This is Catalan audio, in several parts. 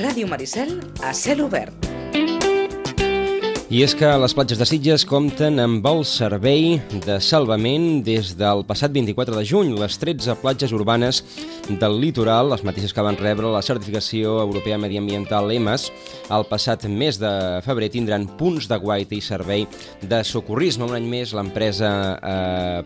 Ràdio Maricel a cel obert. I és que les platges de Sitges compten amb el servei de salvament des del passat 24 de juny. Les 13 platges urbanes del litoral, les mateixes que van rebre la certificació europea mediambiental EMAS, el passat mes de febrer tindran punts de guaita i servei de socorrisme. Un any més l'empresa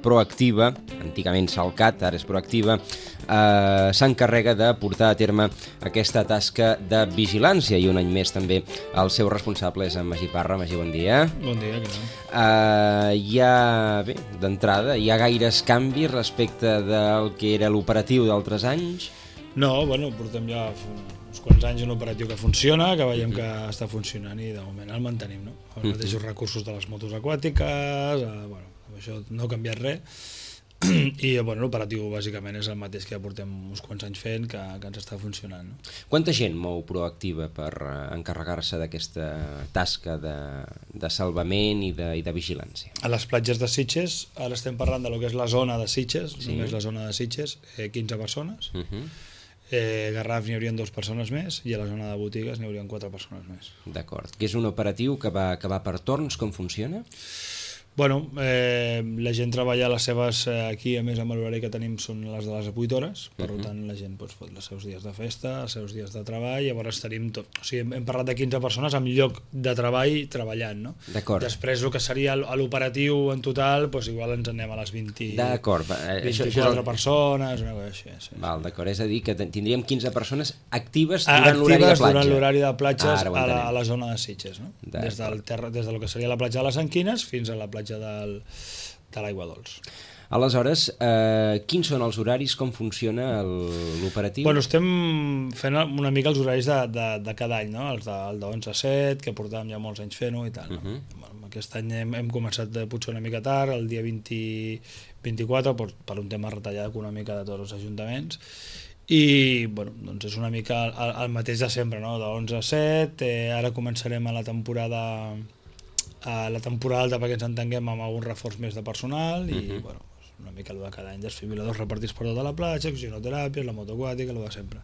Proactiva, antigament Salcat, ara és Proactiva, s'encarrega de portar a terme aquesta tasca de vigilància i un any més també el seu responsable és en Magí Parra. Magí, bon dia. Bon dia, què tal? Bé, d'entrada, hi ha gaires canvis respecte del que era l'operatiu d'altres anys? No, bueno, portem ja uns quants anys un operatiu que funciona, que veiem que està funcionant i de moment el mantenim, no? Els mateixos recursos de les motos aquàtiques, bueno, això no ha canviat res. I bueno, l'operatiu bàsicament és el mateix que ja portem uns quants anys fent, que ens està funcionant, no? Quanta gent mou Proactiva per encarregar-se d'aquesta tasca de salvament i de vigilància? A les platges de Sitges, ara estem parlant de lo que és la zona de Sitges, Sí. només la zona de Sitges, 15 persones. Garraf n'hi haurien 2 persones més i a la zona de botigues n'hi haurien 4 persones més. D'acord. Que és un operatiu que va per torns, com funciona? Bueno, la gent treballa les seves, aquí a més amb l'horari que tenim són les de les 8 hores, per tant la gent fot els seus dies de festa, els seus dies de treball, llavors tenim tot, o sigui, hem parlat de 15 persones amb lloc de treball treballant, no? D'acord. Després el que seria l'operatiu en total, doncs igual ens anem a les 20, D'acord. 24 persones, una cosa així. Sí. Val, d'acord, és a dir que tindríem 15 persones actives durant l'horari de platja. Durant l'horari de platges a la zona de Sitges, no? Des del que seria la platja de les Anquines fins a la platja de l'Aigua Dols. Aleshores, quins són els horaris, com funciona l'operatiu? Bueno, estem fent una mica els horaris de cada any, no? El de 11 a 7, que portàvem ja molts anys fent-ho i tal. No? Bueno, aquest any hem començat potser una mica tard, el dia 24, per un tema retallada econòmica de tots els ajuntaments, i bueno, doncs és una mica el mateix de sempre, no? De 11 a 7, ara començarem a la temporada alta perquè ens entenguem amb algun reforç més de personal i bueno, una mica el de cada any, desfibriladors repartits per tota la platja, oxigenoteràpia, la moto aquàtica, el de sempre.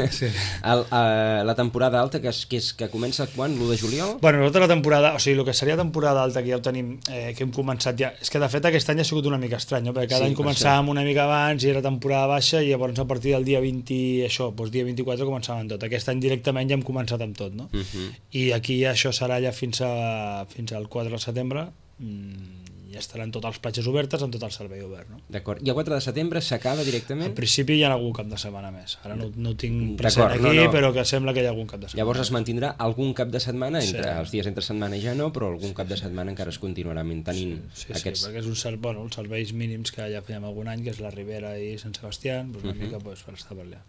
Sí. La temporada alta que comença quan? L'1 de juliol? Bueno, nosaltres la temporada, o sigui, el que seria temporada alta que ja ho tenim, que hem començat ja, és que de fet aquest any ha sigut una mica estrany, no? Perquè cada any començàvem una mica abans i era temporada baixa i llavors a partir del dia 20, dia 24 començàvem tot. Aquest any directament ja hem començat amb tot, no? I aquí això serà ja fins al 4 de setembre, ja estaran totes les platges obertes amb tot el servei obert, no? D'acord. I el 4 de setembre s'acaba directament? En principi hi ha algun cap de setmana més. Ara no ho tinc present aquí, però que sembla que hi ha algun cap de setmana. Llavors es mantindrà algun cap de setmana, els dies entre setmana ja no, però algun cap de setmana encara es continuarà mantenint aquests... Sí, perquè és els serveis mínims que ja fèiem algun any, que és la Ribera i Sant Sebastià, una mica per estar per allà.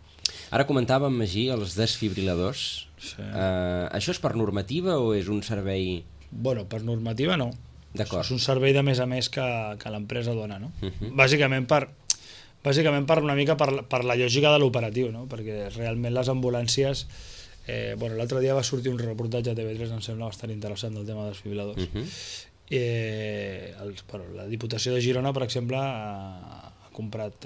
Ara comentàvem, Magí, els desfibriladors. Això és per normativa o és un servei... Bueno, per normativa no. És un servei de més a més que l'empresa dona, no? Bàsicament per una mica per la lògica de l'operatiu, no? Perquè realment les ambulàncies... l'altre dia va sortir un reportatge a TV3, em sembla bastant interessant del tema dels desfibriladors. La Diputació de Girona, per exemple, ha comprat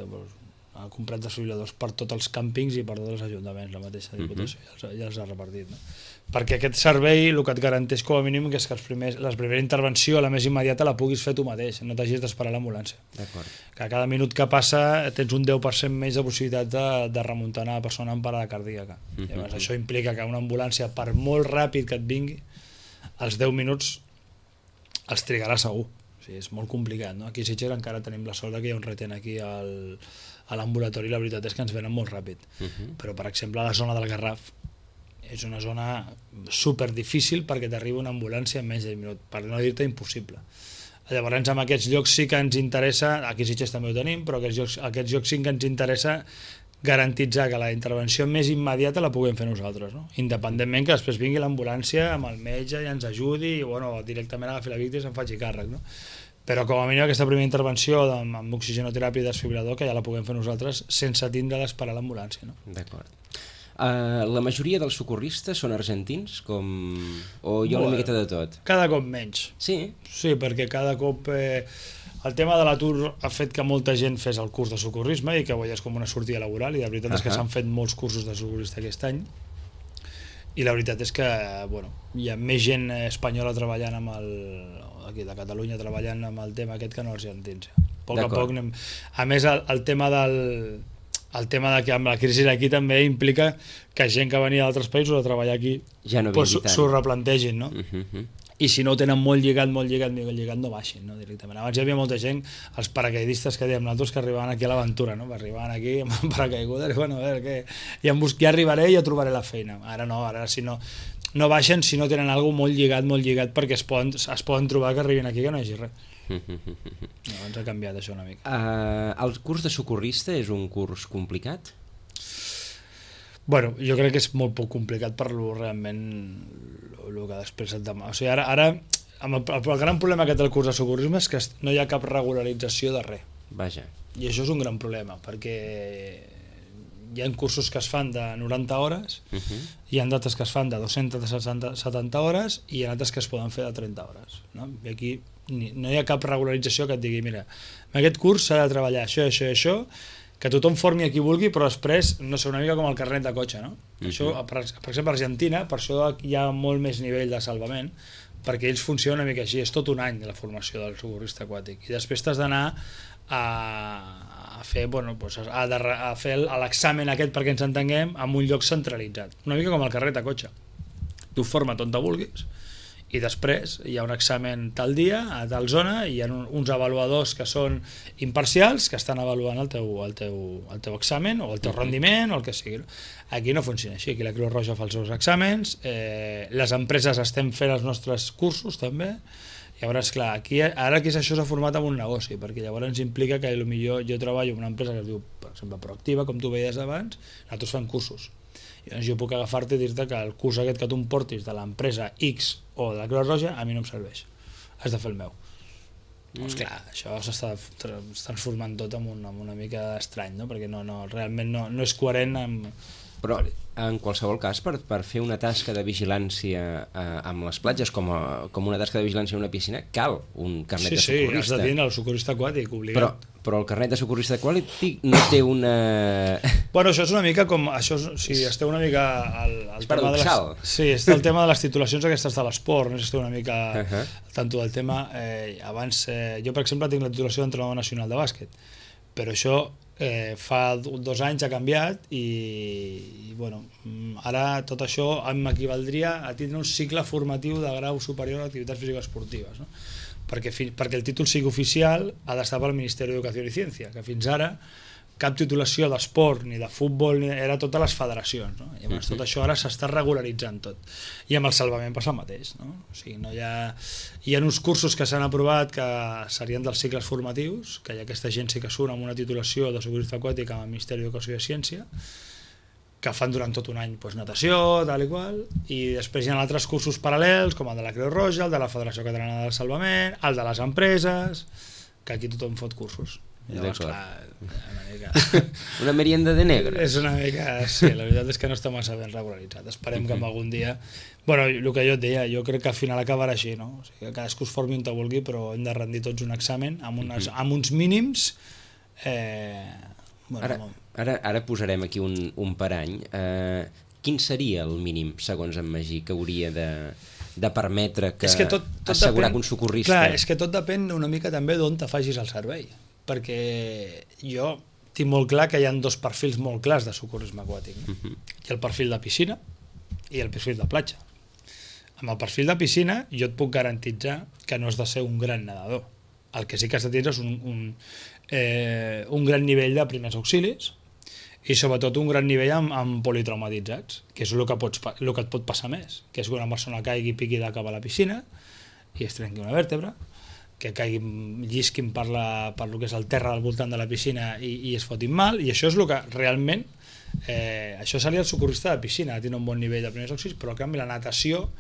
desfibriladors per tots els càmpings i per tots els ajuntaments, la mateixa Diputació, ja els ha repartit, no? Perquè aquest servei el que et garanteix com a mínim és que la primera intervenció, la més immediata, la puguis fer tu mateix, no t'hagis d'esperar l'ambulància. Que cada minut que passa tens un 10% més de possibilitat de remuntar una persona amb parada cardíaca. Llavors, això implica que una ambulància, per molt ràpid que et vingui, als 10 minuts els trigarà segur. O sigui, és molt complicat, no? Aquí a Sitges encara tenim la sort que hi ha un retén aquí a l'ambulatori, la veritat és que ens venen molt ràpid. Però, per exemple, a la zona del Garraf és una zona super difícil perquè t'arriba una ambulància en menys de 10 minuts, per no dir-te impossible. Llavors, en aquests llocs sí que ens interessa, aquí a Sitges també ho tenim, però aquests llocs sí que ens interessa garantitzar que la intervenció més immediata la puguem fer nosaltres, no? Independentment que després vingui l'ambulància amb el metge i ens ajudi i directament agafi la víctima i se'n faci càrrec, no? Però com a mínim aquesta primera intervenció amb oxigenoteràpia i desfibrilador que ja la puguem fer nosaltres sense tindre d'esperar l'ambulància, no? D'acord. La majoria dels socorristes són argentins o hi ha una miqueta de tot? Cada cop menys. Sí? Sí, perquè cada cop el tema de l'atur ha fet que molta gent fes el curs de socorrisme i que ho veies com una sortida laboral i la veritat és que s'han fet molts cursos de socorrista aquest any i la veritat és que bueno, hi ha més gent espanyola treballant aquí de Catalunya treballant amb el tema aquest que no argentins. A poc a poc anem... A més, el tema de que amb la crisi d'aquí també implica que gent que venia d'altres països a treballar aquí ja no s'ho replantegin, no? I si no ho tenen molt lligat, no baixin, no? Directament. Abans hi havia molta gent, els paracaidistes que dèiem nosaltres, que arribaven aquí a l'aventura, no? Arribaven aquí amb paracaigudes i bueno, a veure què... Ja arribaré i ja trobaré la feina. Ara no, ara si no baixen si no tenen alguna cosa molt lligat perquè es poden trobar que arribin aquí que no hi hagi res. Llavors ha canviat això una mica. El curs de socorrista és un curs complicat? Bueno, jo crec que és molt poc complicat per realment el que després et demà. O sigui, ara el gran problema que té el curs de socorrisme és que no hi ha cap regularització de res. Vaja. I això és un gran problema, perquè hi ha cursos que es fan de 90 hores, hi ha d'altres que es fan de 270 hores i hi ha altres que es poden fer de 30 hores. No? I aquí no hi ha cap regularització que et digui, mira, en aquest curs s'ha de treballar això, que tothom formi a qui vulgui, però després, no sé, una mica com el carnet de cotxe, no? Això, per exemple, a Argentina, per això hi ha molt més nivell de salvament, perquè ells funcionen una mica així, és tot un any la formació del socorrista aquàtic, i després t'has d'anar a fer, bueno, doncs a fer l'examen aquest, perquè ens entenguem, en un lloc centralitzat, una mica com el carnet de cotxe. Tu forma't on te vulguis, i després hi ha un examen tal dia, a tal zona, i hi ha uns avaluadors que són imparcials, que estan avaluant el teu examen, o el teu rendiment, o el que sigui. Aquí no funciona així, aquí la Creu Roja fa els seus exàmens, les empreses estem fent els nostres cursos també, llavors clar, ara això s'ha format en un negoci, perquè llavors implica que potser jo treballo en una empresa que es diu, per exemple, Proactiva, com tu veies abans, nosaltres fem cursos. Llavors jo puc agafar-te i dir-te que el curs aquest que tu em portis de l'empresa X o de la Creu Roja a mi no em serveix, has de fer el meu. Doncs clar, això s'està transformant tot en una mica estrany, no? Perquè realment no és coherent amb... Però en qualsevol cas, per fer una tasca de vigilància amb les platges, com una tasca de vigilància en una piscina, cal un carnet de socorrista. Sí, has de tenir el socorrista aquàtic, obligat. Però el carnet de socorrista aquàtic no té una... Bueno, això és una mica com... Si esteu una mica... És paradoxal. Sí, està el tema de les titulacions aquestes de l'esport, no sé si esteu una mica tanto del tema. Abans, jo per exemple tinc la titulació d'entrenador nacional de bàsquet, però això fa 2 anys ha canviat i bueno, ara tot això m'equivaldria a tindre un cicle formatiu de grau superior a activitats físiques esportives, no? Perquè el títol sigui oficial ha d'estar pel Ministeri d'Educació i Ciència, que fins ara cap titulació d'esport ni de futbol era totes les federacions, no? I llavors tot això ara s'està regularitzant tot, i amb el salvament passa el mateix, no? O sigui, hi ha uns cursos que s'han aprovat que serien dels cicles formatius, que hi ha aquesta gent sí que surt amb una titulació de socorrista aquàtic amb el Ministeri d'Educació i Ciència, que fan durant tot un any natació, tal i qual, i després hi ha altres cursos paral·lels, com el de la Creu Roja, el de la Federació Catalana del Salvament, el de les empreses, que aquí tothom fot cursos. Llavors, clar, una merienda de negre. És una mica... Sí, la veritat és que no està massa ben regularitzat. Esperem que algun dia... Bueno, el que jo et deia, jo crec que al final acabarà així, no? O sigui, que cadascú es formi on te vulgui, però hem de rendir tots un examen amb uns mínims... Ara posarem aquí un parany. Quin seria el mínim, segons en Magí, que hauria de permetre assegurar que un socorrista... Clar, és que tot depèn una mica també d'on te facis el servei, perquè jo tinc molt clar que hi ha 2 perfils molt clars de socorrisme aquàtic, no? Hi ha el perfil de piscina i el perfil de platja. Amb el perfil de piscina jo et puc garantitzar que no has de ser un gran nedador. El que sí que has de tenir és un gran nivell de primers auxilis i sobretot un gran nivell amb politraumatitzats, que és el que et pot passar més, que és que una persona caigui i piqui de cap a la piscina i es trenqui una vèrtebra, que llisquin per lo que és el terra al voltant de la piscina i es fotin mal, i això és el que realment això seria el socorrista de piscina, tindre un bon nivell de primers auxilis, però en canvi la natació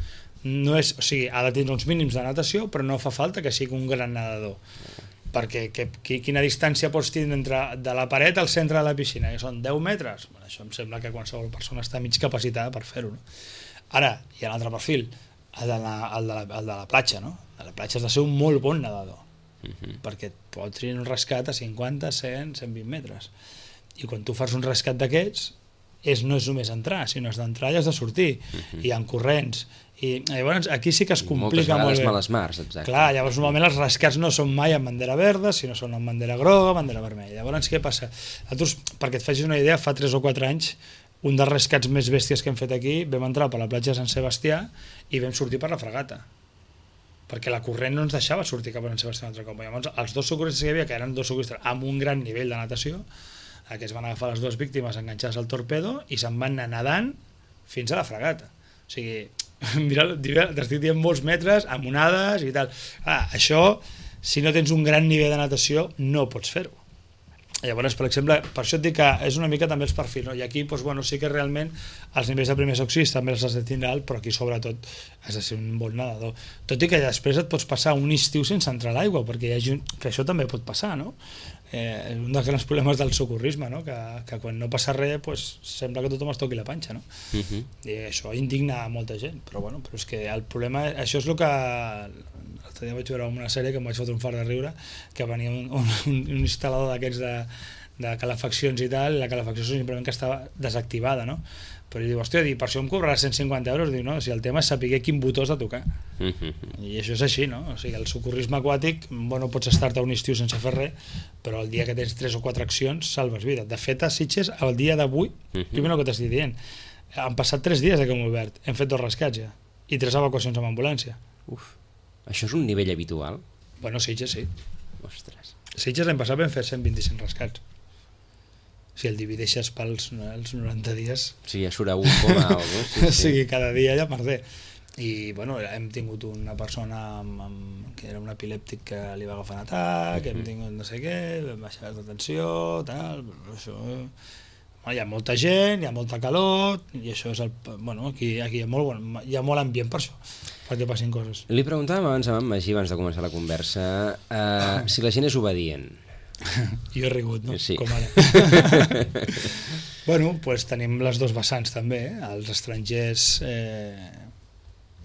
no és, o sigui, ha de tindre uns mínims de natació, però no fa falta que sigui un gran nedador, perquè quina distància pots tindre entre de la paret al centre de la piscina, que són 10 metres, bueno, això em sembla que qualsevol persona està mig capacitada per fer-ho, no? Ara, hi ha un altre perfil, el de la platja, no? A la platja has de ser un molt bon nedador, perquè et pots tenir un rescat a 50, 100, 120 metres. I quan tu fas un rescat d'aquests, no és només entrar, sinó has d'entrar i has de sortir, i en corrents, i llavors aquí sí que es complica molt bé. Moltes vegades males mars, exacte. Clar, llavors normalment els rescats no són mai amb bandera verda, sinó són amb bandera groga, bandera vermella. Llavors què passa? Nosaltres, perquè et facis una idea, fa 3 o 4 anys, un dels rescats més bèsties que hem fet aquí, vam entrar per la platja de Sant Sebastià i vam sortir per la fregata, perquè la corrent no ens deixava sortir cap a Sant Sebastià un altre cop. Llavors els 2 socorristes que hi havia, que eren 2 socorristes amb un gran nivell de natació, aquests van agafar les 2 víctimes enganxades al torpedo i se'n van anar nedant fins a la fregata. O sigui, mira, t'estic dient molts metres, amb onades i tal. Això, si no tens un gran nivell de natació, no pots fer-ho. Llavors, per exemple, per això et dic que és una mica també els perfils, no? I aquí, doncs, bueno, sí que realment els nivells de primers auxilis també els has de tindre alt, però aquí sobretot has de ser un bon nedador. Tot i que després et pots passar un estiu sense entrar a l'aigua, perquè que això també pot passar, no? Un dels grans problemes del socorrisme, no? Que quan no passa res pues, sembla que tothom es toqui la panxa, no? I això indigna a molta gent, però bueno, però és que el problema, això és el que l'altre dia vaig veure una sèrie que em vaig fotre un fart de riure, que venia un instal·lador d'aquests de calefaccions i tal, i la calefacció simplement que estava desactivada, no? Però diu, hòstia, per això em cobraràs 150 euros. Diu, no, si el tema és saber quin botó has de tocar. I això és així, no? O sigui, el socorrisme aquàtic, bueno, pots estar-te un estiu sense fer res, però el dia que tens 3 o 4 accions salves vida. De fet, a Sitges, el dia d'avui, primer el que t'estic dient, han passat 3 dies que hem obert, hem fet 2 rescats ja, i 3 evacuacions amb ambulància. Uf, això és un nivell habitual? Bueno, Sitges sí. Ostres. Sitges l'any passat vam fer 125 rescats. Si el divideixes pels 90 dies... Sí, ja surt a 1, sí. O sigui, cada dia ja perdé. I, bueno, hem tingut una persona que era un epilèptic que li va agafar un atac, hem tingut no sé què, baixades de tensió, tal... Això... Hi ha molta gent, hi ha molta calor, i això és el... Bueno, aquí hi ha molt ambient per això, perquè passin coses. Li preguntàvem abans a en Magí, abans de començar la conversa, si la gent és obedient. Jo he rigut, no? Sí. Com ara. Bueno, pues tenim les 2 vessants també, els estrangers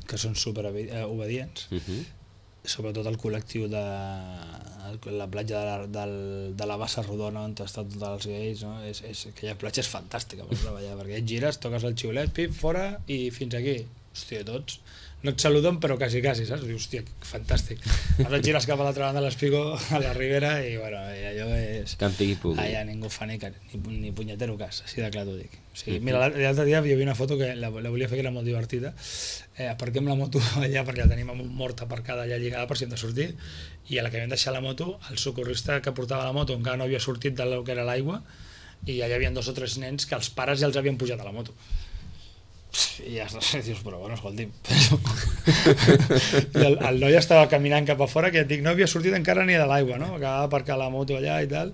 que són super obedients, sobretot el col·lectiu de la platja de la Bassa Rodona on estan tots els gais, no? Aquella platja és fantàstica per treballar, perquè et gires, toques el xiulet, pip, fora i fins aquí. Hòstia, tots no et saluden però quasi, saps? Dius, hòstia, fantàstic. Ara et gires cap a l'altra banda de l'Espigó, a la Ribera, i bueno, allò és... Campi i pugui. Allà ningú fa ni punyetero cas, així de clar t'ho dic. O sigui, mira, l'altre dia hi havia una foto que la volia fer, que era molt divertida. Aparquem la moto allà, perquè la tenim amb un mort aparcada allà lligada per si hem de sortir, i a la que vam deixar la moto, el socorrista que portava la moto encara no havia sortit del que era l'aigua, i allà hi havia 2 o 3 nens que els pares ja els havien pujat a la moto. I ja dius, però bueno, escolti'm, i el noi estava caminant cap a fora, que et dic, no havia sortit encara ni de l'aigua, no? Acabava d'aparcar la moto allà i tal,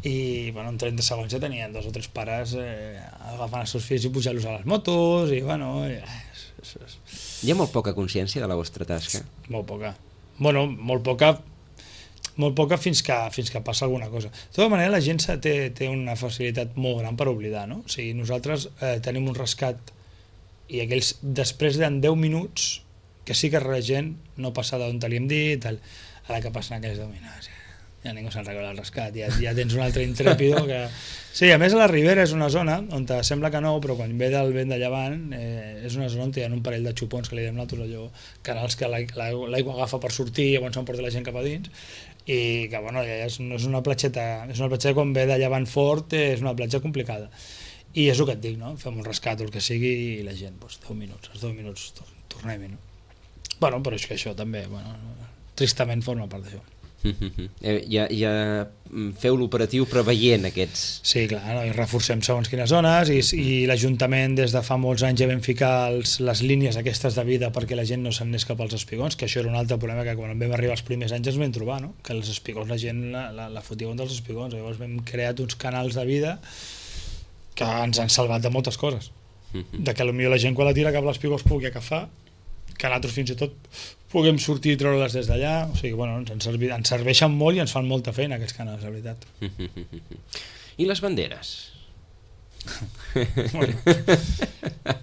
i bueno, en 30 segons ja tenien 2 o 3 pares agafant els seus fills i pujant-los a les motos, i bueno... Hi ha molt poca consciència de la vostra tasca? Molt poca. Bueno, molt poca fins que passa alguna cosa. De tota manera, la gent té una facilitat molt gran per oblidar, no? O sigui, nosaltres tenim un rescat i aquells, després de 10 minuts, que sí que la gent no passa d'on li hem dit, tal, a la que passen aquells dominats, ja ningú se'n recorda el rescat, ja tens un altre intrèpido que... Sí, a més a la Ribera és una zona on sembla que no, però quan ve del vent de llevant és una zona on hi ha un parell de xupons que li diem nosaltres, allò, canals que l'aigua agafa per sortir i llavors s'emporta la gent cap a dins, i que bueno, no és una platgeta, és una platgeta quan ve de llevant fort, és una platja complicada. I és el que et dic, no? Fem un rescat o el que sigui i la gent, doncs, 10 minuts, tornem-hi, no? Bueno, però és que això també, bueno, tristament forma part d'això. Ja feu l'operatiu preveient aquests... Sí, clar, no? I reforcem segons quines zones i l'Ajuntament des de fa molts anys ja vam ficar les línies aquestes de vida perquè la gent no se'n anés cap als espigons, que això era un altre problema que quan vam arribar els primers anys ens vam trobar, no? Que els espigons la gent la fotia contra els espigons, llavors vam crear uns canals de vida que ens han salvat de moltes coses, de que potser la gent quan la tira cap a l'espigó es pugui agafar, que nosaltres fins i tot puguem sortir i treure-les des d'allà, o sigui, bueno, ens serveixen molt i ens fan molta feina aquests canals, la veritat. I les banderes?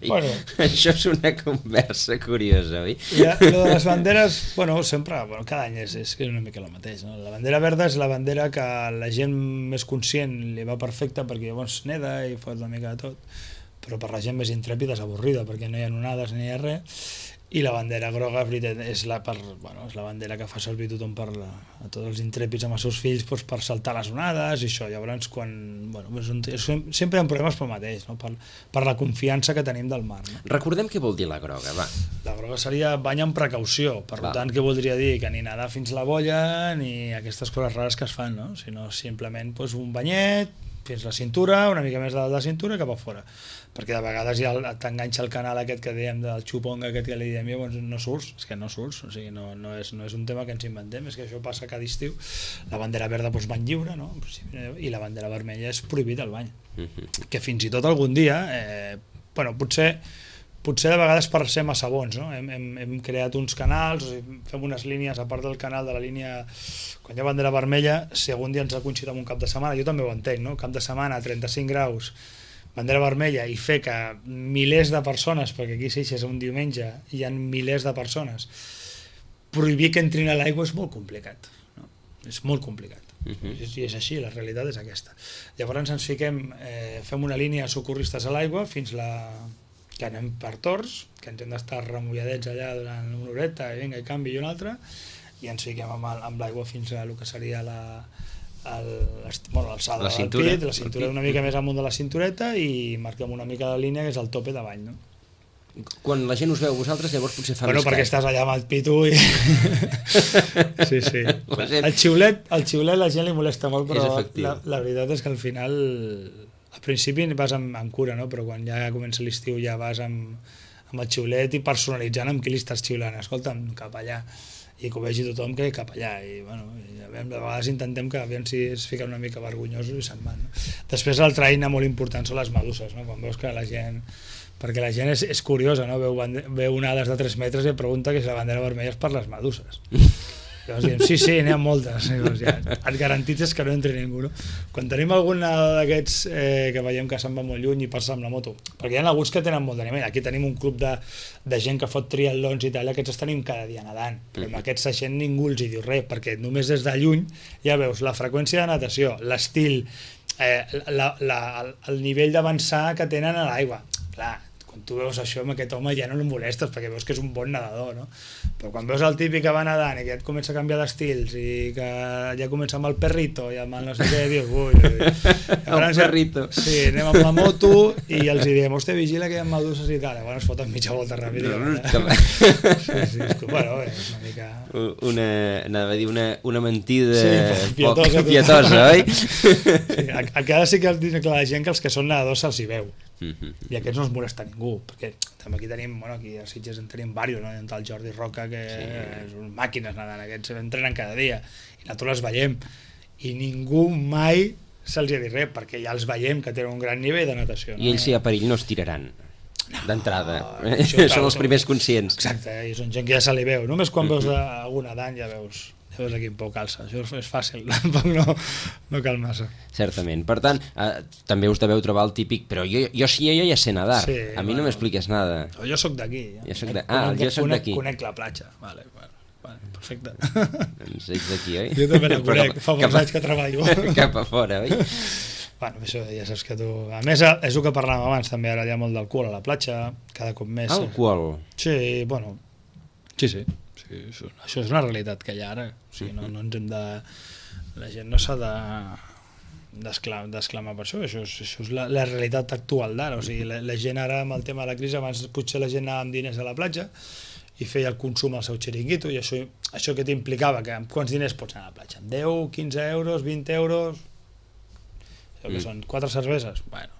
Bueno. Això és una conversa curiosa, oi? Lo de les banderes, sempre, cada any és una mica el mateix, no? La bandera verda és la bandera que la gent més conscient li va perfecta perquè llavors neda i fot una mica de tot, però per la gent més intrèpida és avorrida perquè no hi ha onades ni hi ha res. I la bandera groga és la bandera que fa servir tothom a tots els intrèpids amb els seus fills per saltar les onades i això. Llavors, sempre hi ha problemes pel mateix, no? Per la confiança que tenim del mar. No? Recordem què vol dir la groga, va. La groga seria bany amb precaució, per tant, què voldria dir? Que ni nedar fins la bolla ni aquestes coses rares que es fan, no? Sinó simplement un banyet fins la cintura, una mica més de la cintura i cap a fora. Perquè de vegades ja t'enganxa el canal aquest que dèiem del xupong aquest que li diem, llavors no surts, és que no surts, o sigui, no és un tema que ens inventem, és que això passa cada estiu. La bandera verda bany lliure, no? I la bandera vermella és prohibit el bany. Que fins i tot algun dia, potser de vegades per ser massa bons, no? Hem creat uns canals, o sigui, fem unes línies, a part del canal de la línia, quan hi ha bandera vermella, si algun dia ens ha coincidit amb un cap de setmana, jo també ho entenc, no? Cap de setmana, 35 graus, bandera vermella, i fer que milers de persones, perquè aquí a Sitges un diumenge hi ha milers de persones, prohibir que entrin a l'aigua és molt complicat, no? És molt complicat. I és així, la realitat és aquesta. Llavors ens fiquem, fem una línia de socorristes a l'aigua fins que anem per torns, que ens hem d'estar remulladets allà durant una horeta, i vinga, i canvi i una altra, i ens fiquem amb l'aigua fins a el que seria l'alçada del pit, la cintura una mica més amunt de la cintureta, i marquem una mica la línia que és el tope de bany, no? Quan la gent us veu vosaltres, llavors potser fa més perquè estàs allà amb el pitu i... Sí. El xiulet a la gent li molesta molt, però la veritat és que al final, al principi vas amb cura, no? Però quan ja comença l'estiu ja vas amb el xiulet i personalitzant amb qui li estàs xiulant. Escolta'm, cap allà. I que ho vegi tothom que cap allà. I de vegades intentem que aviam si es fiquen una mica vergonyosos i se'n van. No? Després l'altra eina molt important són les meduses, no? Quan veus que la gent... Perquè la gent és curiosa, no? Veu onades de 3 metres i et pregunta que si la bandera vermella és per les meduses. Llavors diem, sí, n'hi ha moltes. Llavors, ja, et garantitzes que no entri ningú. No? Quan tenim alguna d'aquests que veiem que se'n va molt lluny i passa amb la moto, perquè hi ha alguns que tenen molt d'animament. Aquí tenim un club de gent que fot triatlons i tal, aquests els tenim cada dia nedant, però amb aquests gent ningú els hi diu res, perquè només des de lluny ja veus la freqüència de natació, l'estil, el nivell d'avançar que tenen a l'aigua. Clar, quan tu veus això amb aquest home ja no el molestes perquè veus que és un bon nedador, no? Però quan veus el típic que va nedant i que ja et comença a canviar d'estils i que ja comença amb el perrito i amb el no sé què, dius, ui. El perrito. Sí, anem amb la moto i els diem, hòstia, vigila que hi ha meduses i tal. Llavors foten mitja volta ràpid. Sí, bueno, és una mica... Anava a dir una mentida poc pietosa, oi? Sí, a cada sí que la gent que els que són nedadors se'ls hi veu. I aquests no es molesta ningú, perquè també aquí tenim, aquí a Sitges en tenim diversos, no? El Jordi Roca, que són màquines nedant, aquests entrenen cada dia i nosaltres les veiem i ningú mai se'ls ha dit res, perquè ja els veiem que tenen un gran nivell de natació, no? I ells si hi ha perill no es tiraran d'entrada, són els primers conscients. Exacte, i són gent que ja se li veu, només quan veus algun nedant ja veus a quin pou calça, això és fàcil, tampoc no cal massa. Certament, per tant, també us deveu trobar el típic, però jo ja sé nedar, a mi no m'expliques nada. Jo soc d'aquí. Jo soc d'aquí. Conec la platja, vale, perfecte. Doncs ets d'aquí, oi? Jo també la conec, fa molts anys que treballo. Cap a fora, oi? Bueno, això ja saps que tu... A més, és el que parlàvem abans, també ara hi ha molt d'alcohol a la platja, cada cop més. Alcohol? Sí, bueno, sí. Això és una realitat que hi ha ara, o sigui, no ens hem de... La gent no s'ha d'exclamar per això és la realitat actual d'ara, o sigui, la gent ara amb el tema de la crisi, abans potser la gent anava amb diners a la platja i feia el consum al seu xiringuito, i això que t'implicava, que amb quants diners pots anar a la platja? Amb 10, 15 euros, 20 euros, que són 4 cerveses? Bueno,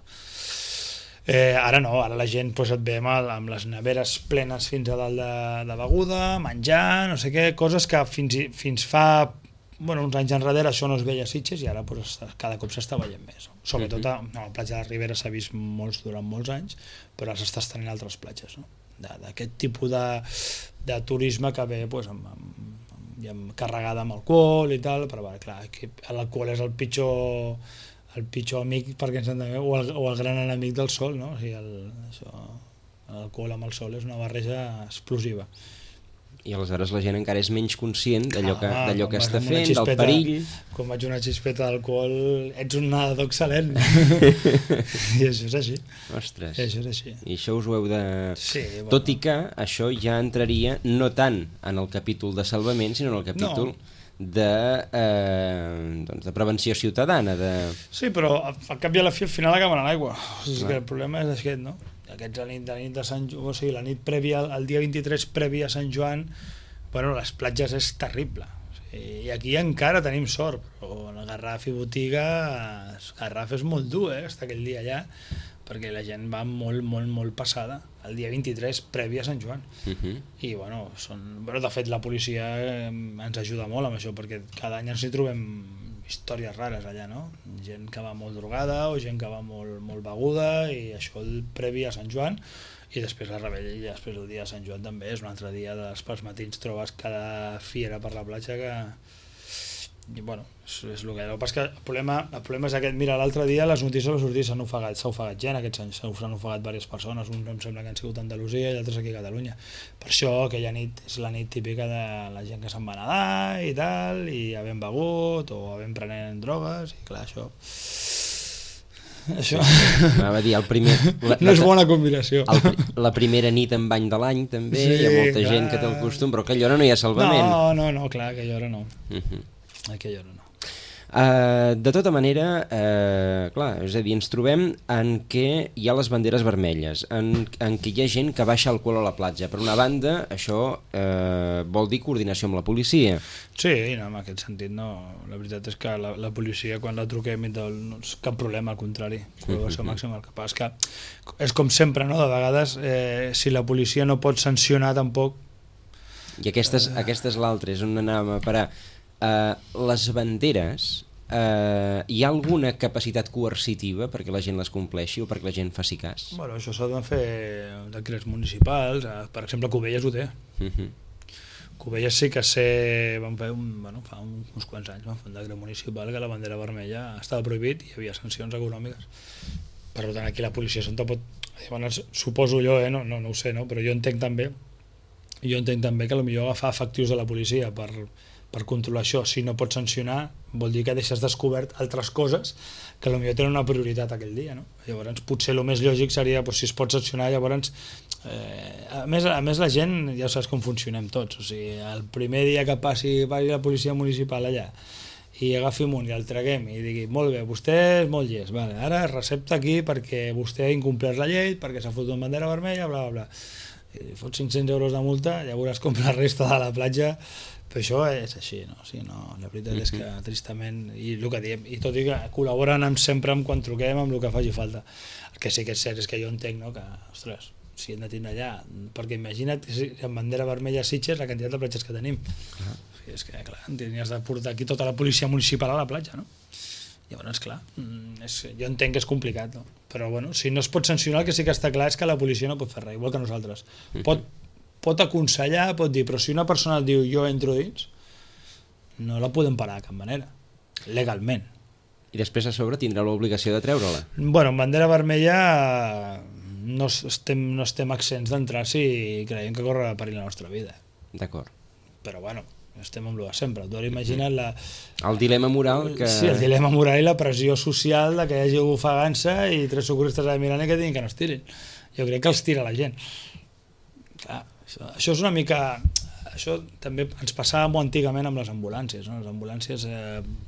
ara no, ara la gent et ve amb les neveres plenes fins a dalt de beguda, menjar, no sé què, coses que fins fa uns anys enrere això no es veia a Sitges i ara cada cop s'està veient més. Sobretot a la platja de Ribera s'ha vist durant molts anys, però ara s'està estenent a altres platges, no? D'aquest tipus de turisme que ve carregada amb alcohol i tal, però clar, l'alcohol és el pitjor el pitjor amic perquè ens entenguem, o el gran enemic del sol, no? O sigui, l'alcohol amb el sol és una barreja explosiva. I aleshores la gent encara és menys conscient d'allò que està amb una fent, del perill. Quan vaig una xispeta d'alcohol, ets un nedador excel·lent. I això és així. Ostres. Això és així. I això us ho heu de... Sí, bueno. Tot i que això ja entraria no tant en el capítol de salvament, sinó en el capítol de prevenció ciutadana. Sí, però al cap i a la fi al final acaben a l'aigua. O sigui que el problema és aquest, no? Aquests la nit de Sant Joan, o sigui, la nit prèvia, el dia 23 previ a Sant Joan, bueno, les platges és terrible. O sigui, i aquí encara tenim sort, però el Garraf i Botiga, el Garraf és molt dur, estar aquell dia allà, perquè la gent va molt passada el dia 23 previ a Sant Joan. I bueno, de fet la policia ens ajuda molt amb això, perquè cada any ens hi trobem històries rares allà, no? Gent que va molt drogada o gent que va molt beguda, i això el previ a Sant Joan, i després la rebella, i després el dia de Sant Joan també és un altre dia, pels matins trobes cada fiera per la platja que... I bueno, és el que... El que passa que el problema és aquest. Mira, l'altre dia les notícies van sortir, s'ha ofegat gent aquests anys, s'han ofegat diverses persones, uns em sembla que han sigut a Andalusia i altres aquí a Catalunya. Per això aquella nit és la nit típica de la gent que se'n va nedar i tal, i havent begut o havent prenent drogues, i clar, això... Anava a dir, el primer... No és bona combinació. La primera nit en bany de l'any també, sí, hi ha molta gent que té el costum, però a aquella hora no hi ha salvament. No, clar, a aquella hora no. Aquella hora no. De tota manera, clar, és a dir, ens trobem en què hi ha les banderes vermelles, en què hi ha gent que baixa alcohol a la platja. Per una banda, això vol dir coordinació amb la policia. Sí, no, en aquest sentit no. La veritat és que la policia, quan la truquem, no és cap problema, al contrari. Col·laboració màxima. El que passa és que és com sempre, no? De vegades, si la policia no pot sancionar tampoc... I aquesta és l'altra, és on anàvem a parar. Les banderes, hi ha alguna capacitat coercitiva perquè la gent les compleixi o perquè la gent faci cas? Bueno, això s'ha de fer decrets municipals, per exemple Cubelles ho té. Cubelles sí que van fer fa uns quants anys van fer un decret municipal que la bandera vermella estava prohibit i hi havia sancions econòmiques. Per tant, aquí la policia suposo jo, no ho sé, no? Però jo entenc també que potser agafar efectius de la policia per controlar això, si no pots sancionar, vol dir que deixes descobert altres coses que potser tenen una prioritat aquell dia, no? Llavors, potser el més lògic seria, si es pot sancionar, llavors... A més la gent, ja saps com funcionem tots, o sigui, el primer dia que passi la policia municipal allà i agafi amunt i el traguem i digui, molt bé, vostè és molt llest, vale, ara recepta aquí perquè vostè ha incomplert la llei, perquè s'ha fotut una bandera vermella, bla, bla, bla. I fot 500 euros de multa, llavors com la resta de la platja. Però això és així, no? O sigui, no, la veritat és que tristament, i el que diem, i tot i que col·laboren sempre quan truquem amb el que faci falta. El que sí que és cert és que jo entenc, no? Que, ostres, si hem de tindre allà, perquè imagina't amb bandera vermella a Sitges la quantitat de platges que tenim. O sigui, és que, clar, tenies de portar aquí tota la policia municipal a la platja, no? Llavors, clar, jo entenc que és complicat, no? Però bueno, si no es pot sancionar, el que sí que està clar és que la policia no pot fer res, igual que nosaltres. Pot aconsellar, pot dir, però si una persona et diu jo entro dins, no la podem parar de cap manera, legalment. I després a sobre tindrà l'obligació de treure-la. Bueno, en bandera vermella no estem exents d'entrar si creiem que corre perill la nostra vida. D'acord. Però bueno, estem amb el de sempre. Tu ara imagina't el dilema moral que... Sí, el dilema moral i la pressió social de que hi hagi ofegant-se i 3 socorristes a Mirant i que diguin que no es tirin. Jo crec que els tira la gent. Clar, això és una mica... Això també ens passava molt antigament amb les ambulàncies, no? Les ambulàncies,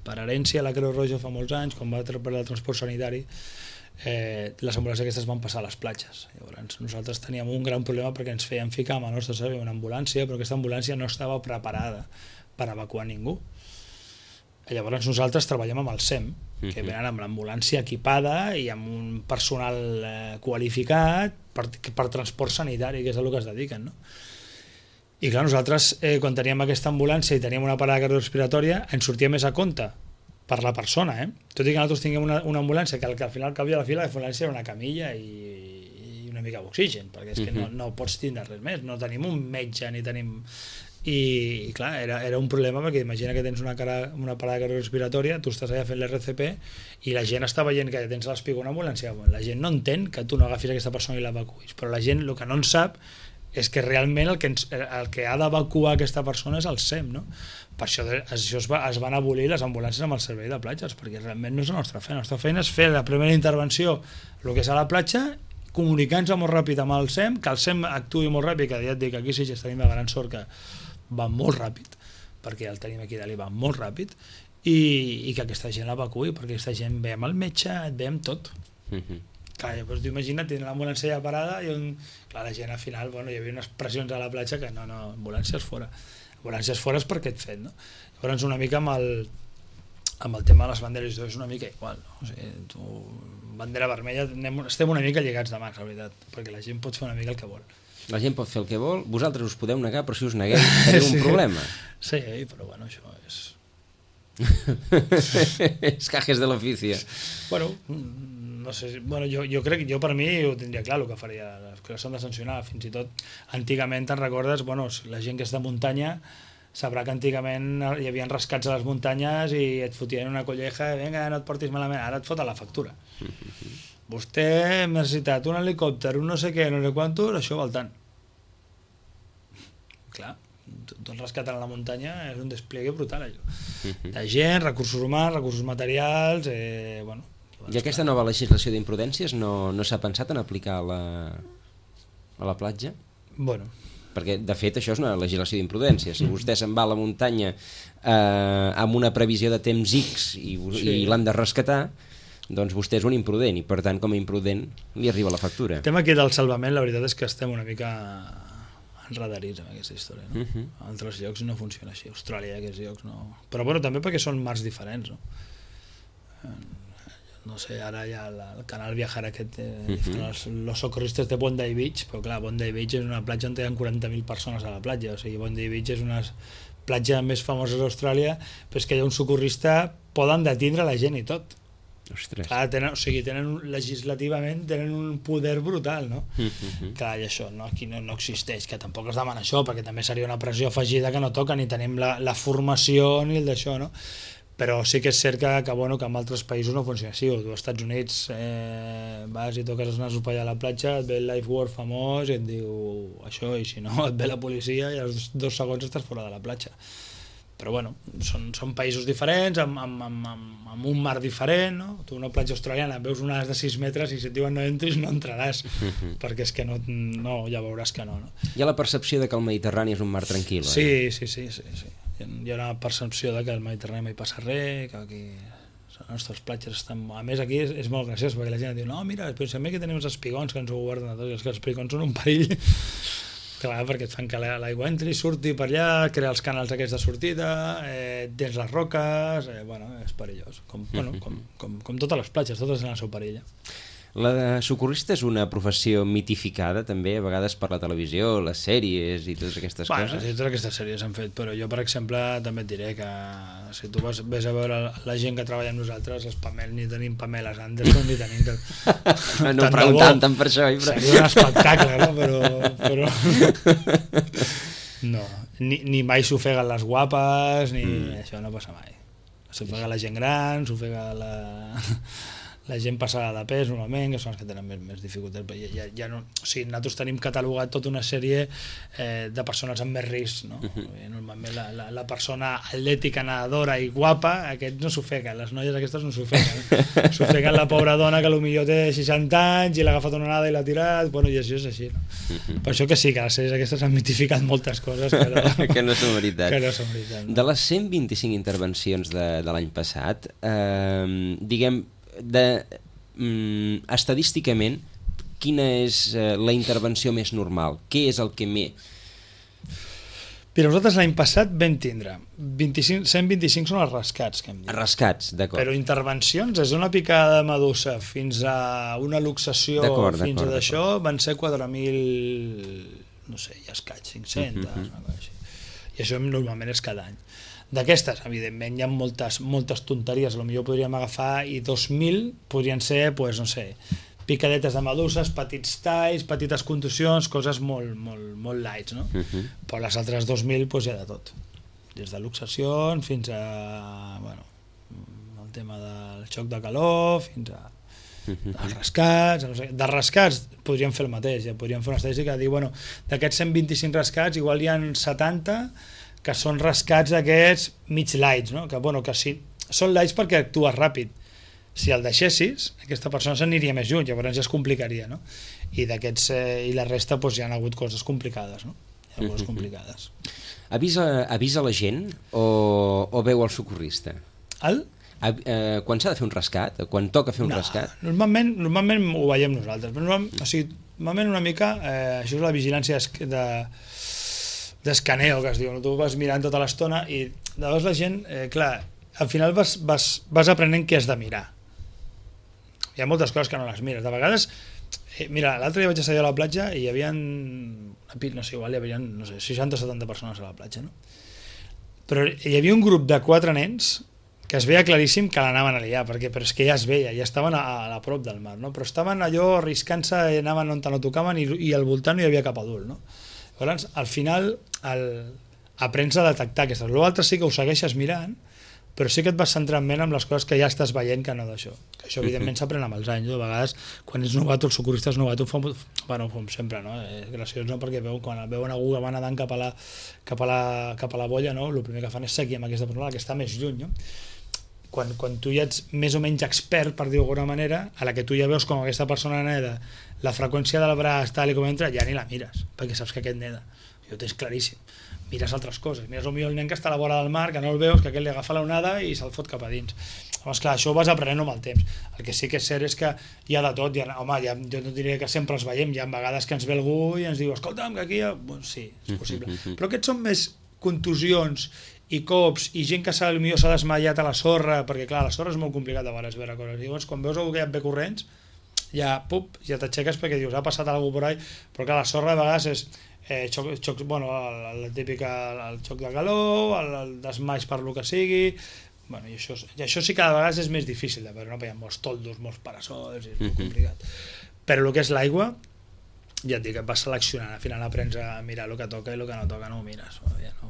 per herència, la Creu Roja fa molts anys, quan va per el transport sanitari, les ambulàncies aquestes van passar a les platges. Llavors, nosaltres teníem un gran problema perquè ens feien ficar amb el nostre servei una ambulància, però aquesta ambulància no estava preparada per evacuar ningú. Llavors nosaltres treballem amb el SEM, que venen amb l'ambulància equipada i amb un personal qualificat per transport sanitari, que és a el que es dediquen, no? I clar, nosaltres, quan teníem aquesta ambulància i teníem una parada cardiorrespiratòria, ens sortia més a compte per la persona, tot i que nosaltres tinguem una ambulància que al final, al cap i a la fi, l'ambulància era una camilla i una mica d'oxigen, perquè és que no pots tindre res més, no tenim un metge ni tenim... i clar, era un problema perquè imagina que tens una parada cardiorrespiratòria, tu estàs allà fent l'RCP i la gent està veient que tens l'espigó una ambulància, la gent no entén que tu no agafis aquesta persona i l'evacuïs, però la gent el que no en sap és que realment el que ha d'evacuar aquesta persona és el SEM, no? Per això es van abolir les ambulàncies amb el servei de platges, perquè realment no és la nostra feina. La nostra feina és fer la primera intervenció, el que és a la platja, comunicant-se molt ràpid amb el SEM, que el SEM actuï molt ràpid, que ja et dic, aquí sí que tenim la gran sort que va molt ràpid, perquè el tenim aquí dalt i va molt ràpid, i que aquesta gent l'evacuï, perquè aquesta gent veiem el metge, et veiem tot. Clar, llavors imagina't, tenen l'ambulància ja parada i clar, la gent al final, hi havia unes pressions a la platja que no, ambulàncies fora és per aquest fet, no? Llavors una mica amb el tema de les banderes és una mica igual, no? O sigui, tu, bandera vermella, estem una mica lligats de mans, la veritat, perquè la gent pot fer una mica el que vol. La gent pot fer el que vol, vosaltres us podeu negar, però si us negueu teniu un problema. Sí, però bueno, això és... És cajes de l'ofici. Bueno, no sé, jo crec que jo per mi ho tindria clar el que faria, que s'han de sancionar, fins i tot antigament te'n recordes, la gent que és de muntanya sabrà que antigament hi havia rescats a les muntanyes i et fotien una colleja, vinga, no et portis malament, ara et foten la factura. Vostè ha necessitat un helicòpter, un no sé què, no sé quantos, això val tant. Clar, tot rescatant a la muntanya és un despliegue brutal, allò. De gent, recursos humans, recursos materials, bueno... I aquesta nova legislació d'imprudències no s'ha pensat en aplicar a la platja? Bueno... Perquè, de fet, això és una legislació d'imprudència. Si vostè se'n va a la muntanya amb una previsió de temps X i l'han de rescatar, doncs vostè és un imprudent i, per tant, com a imprudent, li arriba la factura. El tema aquí del salvament, la veritat és que estem una mica enredarits amb aquesta història, no? A altres llocs no funciona així. A Austràlia, aquests llocs, no... Però, bueno, també perquè són mars diferents, no? No sé, ara hi ha el canal Viajar aquest, los socorristes de Bondi Beach, però clar, Bondi Beach és una platja on hi ha 40.000 persones a la platja, o sigui, Bondi Beach és una platja més famosa d'Austràlia, però és que hi ha un socorrista, poden detindre la gent i tot. Ostres. Clar, legislativament tenen un poder brutal, no? Clar, i això aquí no existeix, que tampoc es demana això, perquè també seria una pressió afegida que no toca, ni tenim la formació ni el d'això, no? Però sí que és cert que en altres països no funciona així. Tu als Estats Units vas i toques els nasos per allà a la platja, et ve el lifeguard famós i et diu això, i si no et ve la policia i als 2 segons estàs fora de la platja. Però bueno, són països diferents, amb un mar diferent, no? Tu una platja australiana veus unes de 6 metres i si et diuen no entris no entraràs, perquè és que no, ja veuràs que no. Hi ha la percepció de que el Mediterrani és un mar tranquil. Sí. Hi ha una percepció de que al Mediterrani mai passa res, que aquí les nostres platges estan... A més, aquí és molt graciós, perquè la gent diu no, mira, pensem que tenim els espigons que ens ho guarden a tots, i els espigons són un perill. Clar, perquè et fan que l'aigua entri, surti per allà, crear els canals aquests de sortida, tens les roques... Bueno, és perillós. Com totes les platges, totes tenen el seu perill. La de socorrista és una professió mitificada també, a vegades per la televisió, les sèries i totes aquestes coses. Sí, totes aquestes sèries s'han fet, però jo, per exemple, també et diré que si tu ves a veure la gent que treballa amb nosaltres, ni tenim Pameles Anderson, ni tenim... No ho preguntàvem tant per això. Seria un espectacle, no? Però... No, ni mai s'ofeguen les guapes, ni això no passa mai. S'ofega la gent gran, s'ofega la gent passada de pes normalment, que són els que tenen més dificultats. Ja no, o sigui, nosaltres tenim catalogat tota una sèrie de persones amb més risc, no? Normalment la persona atlètica, nedadora i guapa, aquests no s'ofeguen, les noies aquestes no s'ofeguen. S'ofeguen la pobra dona que potser té 60 anys i l'ha agafat una onada i l'ha tirat, bueno, i això és així, no? Per això que sí, que les sèries aquestes han mitificat moltes coses que no són veritat. No? De les 125 intervencions de l'any passat, diguem, estadísticament, quina és la intervenció més normal? Què és el que més... Mira, nosaltres l'any passat vam tindre 125 són els rescats que hem dit. Rescats, d'acord. Però intervencions, és una picada de medusa fins a una luxació, fins a d'això, van ser 4.000, no sé, ja escaig, 500, una cosa així. I això normalment és cada any. D'aquestes, evidentment, hi ha moltes tonteries, potser podríem agafar, i 2.000 podrien ser, pues, no sé, picadetes de meduses, petits talls, petites contusions, coses molt lights, no? Però les altres 2.000 doncs hi ha de tot, des de luxacions fins a el tema del xoc de calor, fins a els rescats, no sé. De rescats podríem fer el mateix, ja podríem fer una estadística de dir, d'aquests 125 rescats igual hi ha 70 que són rescats d'aquests mig lights, no? Que sí, són lights perquè actues ràpid. Si el deixessis, aquesta persona s'aniria més lluny, llavors ja es complicaria, no? I la resta hi ha hagut coses complicades, no? Hi ha coses complicades. Avisa la gent o veu el socorrista? Quan s'ha de fer un rescat? Quan toca fer un rescat? Normalment ho veiem nosaltres, però normalment una mica això és la vigilància d'escaneo que es diu, no? Tu vas mirant tota l'estona i llavors la gent, clar, al final vas aprenent què has de mirar. Hi ha moltes coses que no les mires, de vegades mira, l'altre dia vaig estar a la platja i hi havia no sé, igual hi havia 60 o 70 persones a la platja, no? Però hi havia un grup de 4 nens que es veia claríssim que l'anaven a liar, però és que ja es veia, ja estaven a prop del mar, no? Però estaven allò arriscant-se, anaven on no tocaven i al voltant no hi havia cap adult, no? Llavors, al final, aprens a detectar aquestes. L'altre sí que ho segueixes mirant, però sí que et vas centrant més en les coses que ja estàs veient que no d'això. Que això, evidentment, s'aprèn amb els anys. De vegades, quan ets novato, els socorristes novato, com sempre, no? És graciós, no? Perquè quan veuen algú que va nedant cap a la bolla, no? El primer que fan és seguir amb aquesta persona, que està més lluny, no? Quan tu ja ets més o menys expert, per dir-ho d'alguna manera, a la que tu ja veus com aquesta persona neda, la freqüència del braç, tal i com entra, ja ni la mires, perquè saps que aquest neda. Jo ho tens claríssim. Mires altres coses. Mires potser el nen que està a la vora del mar, que no el veus, que aquest li agafa l'onada i se'l fot cap a dins. Llavors, clar, això ho vas aprenent amb el temps. El que sí que és cert és que hi ha de tot. Jo no diria que sempre els veiem. Hi ha vegades que ens ve algú i ens diu, escolta'm, que aquí... Sí, és possible. Però aquests són més contusions i cops i gent que s'ha desmaiat a la sorra, perquè clar, la sorra és molt complicat a vegades veure coses. Llavors, quan veus algú que ja et ve corrents, ja t'aixeques perquè dius, ha passat alguna cosa por ahí, però clar, la sorra de vegades és el xoc de calor, el desmaix per lo que sigui, i això sí que a vegades és més difícil de veure, no? Hi ha molts toldos, molts parasols, és molt complicat. Però el que és l'aigua, ja et dic, et vas seleccionant, al final aprens a mirar el que toca i el que no toca no ho mires,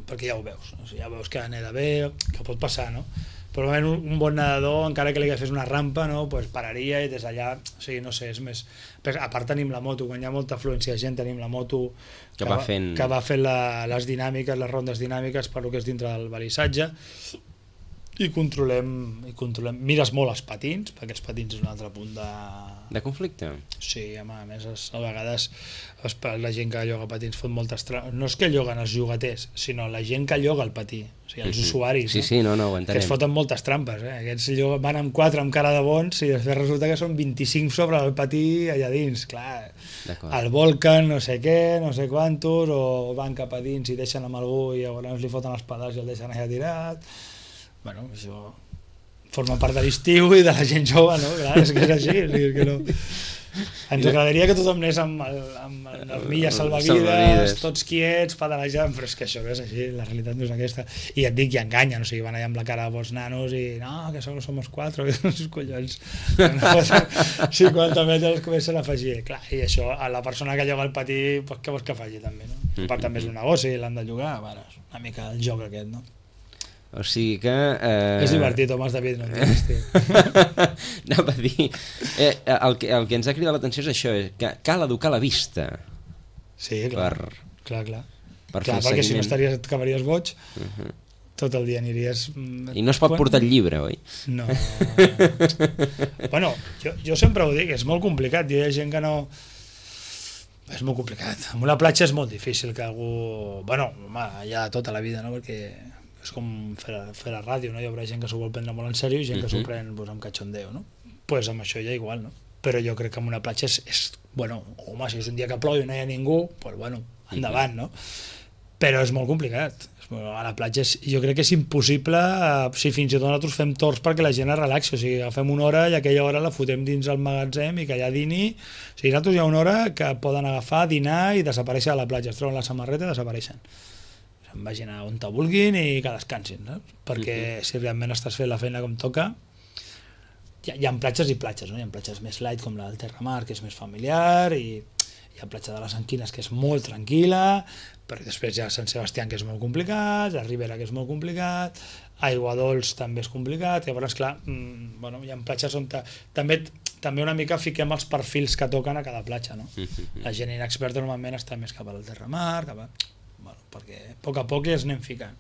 perquè ja ho veus, ja veus que neda bé, que pot passar, no? Però un bon nedador, encara que li agafés una rampa, no, pues pararia i des d'allà, o sigui, no sé, és més... A part tenim la moto, quan hi ha molta afluència de gent, tenim la moto que va fent les dinàmiques, les rondes dinàmiques per lo que és dintre del balissatge, i controlem. Mires molt els patins, perquè els patins és un altre punt de conflicte. Sí, home, a més a vegades la gent que lloga patins fot moltes trampes. No és que lloguen els llogaters, sinó la gent que lloga el patí, o sigui, els usuaris, sí, no, ho entenem. Aquests foten moltes trampes, aquests van amb 4 amb cara de bons i després resulta que són 25 sobre el patí allà dins, clar, el volquen, no sé què, no sé quantos, o van cap a dins i deixen amb algú i llavors li foten els pedals i el deixen allà tirat. Això forma part de l'estiu i de la gent jove, no? Clar, és que és així, és que no... Ens agradaria que tothom anés amb armilles salvavides, tots quiets, pedalejant, però és que això no és així, la realitat no és aquesta. I ja et dic, i enganyen, o sigui, van allà amb la cara de bons nanos i no, que solo somos 4, que són els collons. 50 metres comencen a afegir. Clar, i això, a la persona que lloga el patí, pues, què vols que faci també, no? A part també és un negoci, l'han de llogar, és una mica el joc aquest, no? O sigui que... És divertit, Tomàs David, no entens, tio. Anava a dir... El que ens ha cridat l'atenció és això, que cal educar la vista. Sí, clar. Clar, perquè si no et acabaries boig, tot el dia aniries... I no es pot portar el llibre, oi? No. Bueno, jo sempre ho dic, és molt complicat, hi ha gent que no... És molt complicat. En una platja és molt difícil que algú... Bueno, hi ha tota la vida, no?, perquè... és com fer la ràdio, no? Hi haurà gent que s'ho vol prendre molt en sèrio i gent que s'ho pren amb cachondeo, no? Pues amb això ja igual, no? Però jo crec que en una platja és bueno, home, si és un dia que plou i no hi ha ningú, pues bueno, endavant, no? Però és molt complicat. A la platja jo crec que és impossible, si fins i tot nosaltres fem torns perquè la gent es relaxi, o sigui, agafem una hora i aquella hora la fotem dins el magatzem i que allà dini, o sigui, nosaltres hi ha una hora que poden agafar, dinar i desaparèixer a la platja, es troben la samarreta i desapareixen. Se'n vagin a on te vulguin i que descansin, no? Perquè si realment estàs fent la feina com toca, hi ha platges i platges, no? Hi ha platges més light com la del Terramar, que és més familiar, i hi ha platja de les Anquines, que és molt tranquil·la, però després hi ha Sant Sebastià, que és molt complicat, la Ribera, que és molt complicat, Aiguadols també és complicat, llavors, clar, bueno, hi ha platges on també una mica fiquem els perfils que toquen a cada platja, no? La gent inexperta normalment està més cap al Terramar, bueno, perquè a poc es anem ficant.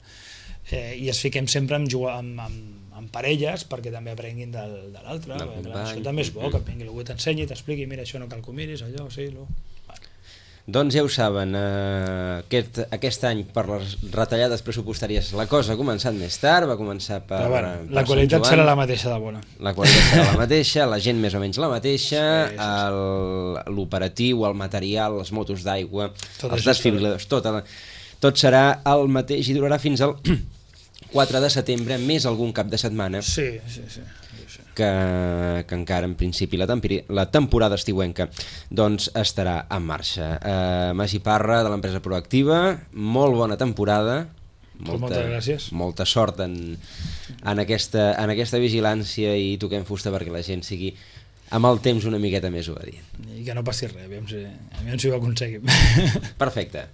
I es fiquem sempre amb parelles perquè també aprenguin de l'altre. Això també és bo, que vingui algú t'ensenyi, t'expliqui, mira, això no cal que ho miris, allò, sí, Doncs ja ho saben, aquest any per les retallades pressupostàries la cosa ha començat més tard, va començar per la qualitat serà la mateixa de bona. La qualitat serà la mateixa, la gent més o menys la mateixa, l'operatiu, el material, les motos d'aigua, els desfibriladors, tot serà el mateix i durarà fins al 4 de setembre, més algun cap de setmana. Sí. Que encara en principi la temporada estiuenca doncs estarà en marxa. Magí Parra, de l'empresa Proactiva, molt bona temporada, moltes gràcies, molta sort en aquesta vigilància, i toquem fusta perquè la gent sigui amb el temps una miqueta més obedient. I que no passi res, aviam si ho aconseguim. Perfecte.